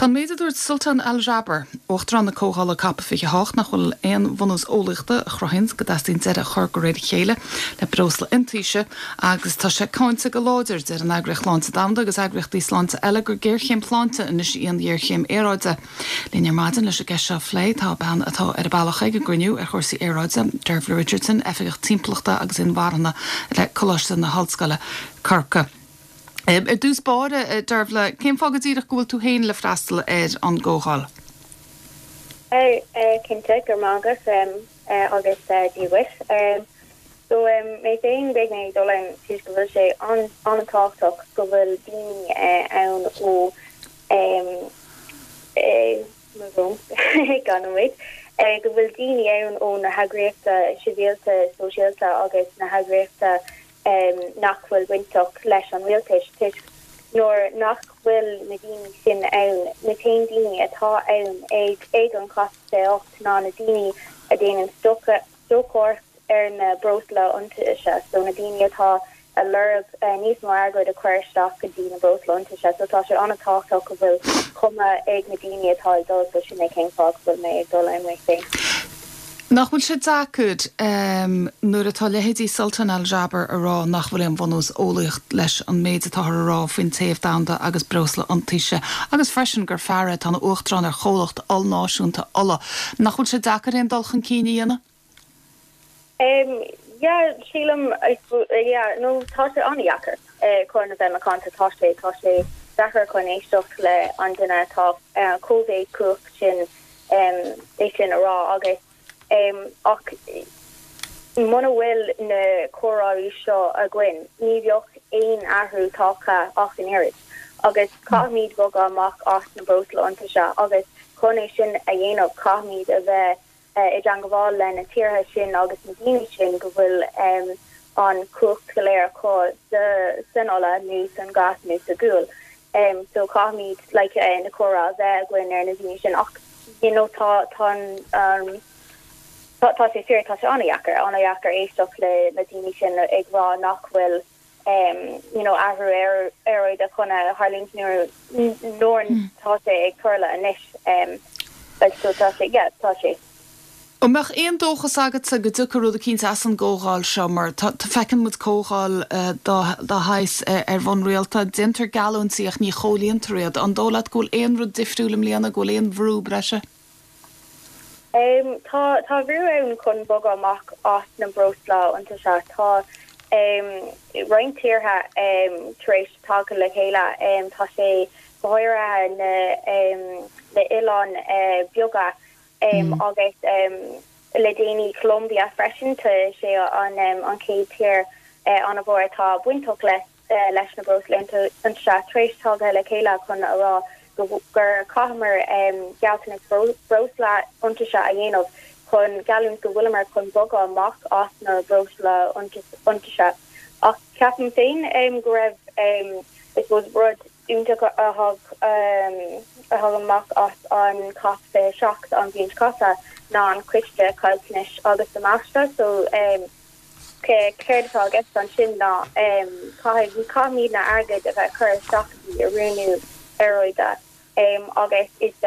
Tá an méid a dúirt Sultan Al Jaber, Uachtarán na Comhdhála Cop 28, nach bhfuil aon bhunús eolaíochta a chruthaíonns go dteastaíonn deireadh a chur de réir a chéile le breosla iontaise agus tá sé cáinte go láidir, deir an Eagraíocht Shláinte Domhanda agus eagraíochtaí sláinte eile gur géarchéim shláinte anois í an ghéarchéim aeráide. Linn ar maidin leis an gceist seo a phlé tá bean atá ar a bealach ag an gcruinniú ar chúrsaí aeráide, Dervla Richardson, Oifigeach Timpeallachta agus Inmharthana le Coláiste na hOllscoile, Corcaigh. Ar dtús báire, a Dervla, cén fáth go díreach go bhfuil tú féin le freastal ar an gcomhdháil? Cinnte, go raibh maith agat agus Dia dhuit. So, mé féin, beidh mé ag dul ann toisc go bhfuil sé an-tábhachtach go bhfuil daoine ann ó mo bhrón, gan nóiméad, go bhfuil daoine ann ó na heagraíochta sibhialta, sóisialta agus na heagraíochta nach bhfuil bainteach leis an rialtais, toisc nuair nach bhfuil na daoine sin ann, na t-aon daoine atá ann ag ag an COP 28 ná na daoine a déanann stocaireacht ar na breosla iontaise, so na daoine atá a lorg níos mó airgead a chur isteach go dtí na breosla iontaise, so tá sé an-tábhachtach go bhfuil cuma ag na daoine atá ag dul, so sin é cén fáth go bhfuil mé ag dul ann mé féin. Nach bhfuil sé deacair nuair atá leithéidí Sultan Al Jaber a rá nach bhfuil aon bhunús eolaíoch leis an méid atáthar a rá faoin téamh domhanda agus breosla iontaise agus freisin gur fear é atá ina uachtarán ar chomhlacht ollnáisiúnta ola, nach bhfuil sé deacair aon dul chun cinn a dhéanamh? Yeah, sílim, yeah, nó tá sé an-dheacair chun a bheith macánta, tá sé, tá sé deacair chun éisteacht le an duine atá chomh héagcumhacht sin. é sin a rá agus ach muna bhfuil na comhráirí seo againn ní bheadh aon athrú tagtha ach an oiread agus caithfimid bogadh amach as na breosla iontaise agus chun é sin a dhéanamh caithfimid a bheith i dteangabháil le na tíortha sin agus na daoine sin go bhfuil an chumhacht go léir acu san ola nó san gas nó sa ghual. So caithfimid like na comhrá a bheith againn ar na daoine sin ach you know tá tá an tá tá sé fíor tá sé an-dheacair an-dheacair éisteacht le na daoine sin ag rá nach bhfuil you know athrú aeráide chun a tharlúint nuair nuair tá sé ag tarlú anois like so tá sé yeah tá sé. An mbeadh aon dóchas agatsa go dtiocfaidh rud eicínt as an gcomhdháil seo mar tá, feiceann muid comhdháil dá shaghas ar bhonn rialta, déantar geallúintí ach ní chomhlíontar iad. An dóigh leat go bhfuil aon rud difriúil i mbliana, go bhfuil aon bhrú breise? Tá, tá brú ann chun bogadh amach as na breosla iontaise. Tá roinnt tíortha tar éis tagtha le chéile. Tá sé go háirithe na na oileáin beaga agus le déanaí Colombia freisin, tá sé an chéad tír an-mhór atá bainteach leis na breosla iontaise tar éis tagtha le chéile chun a rá gur chaitheamar gealltanas breosla iontaise a dhéanamh chun geallúint go bhfuileamar chun bogadh amach as na breosla iontaise. Ach ceapaim féin go raibh I suppose rud iontach a thug a thug amach as an COP 27 an bhliain seo caite ná an Coiste Caillteanais agus Damáiste. So céard atá i gceist ansin ná caithfidh caithfimid na airgead a bheith cur isteach i oiriúnú aeráide agus is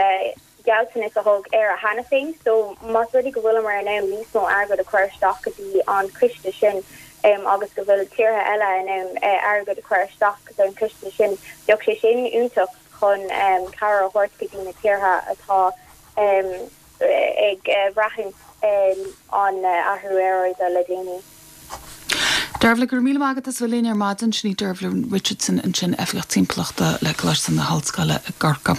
gealltanas a thug Éire cheana féin so más rud é go bhfuileamar in ann níos mó airgead a chur isteach go dtí an coiste sin agus go bhfuil tíortha eile in ann airgead a chur isteach don choiste sin, bheadh sé sin iontach chun cabhair a thabhairt go dtí na tíortha atá ag braithint an athrú aeráide le déanaí. Dervla, go raibh míle maith agat as a bheith linn ar maidin. Sin í Dervla Richardson ansin, Oifigeach Timpeallachta le Coláiste na hOllscoile i gCorcaigh.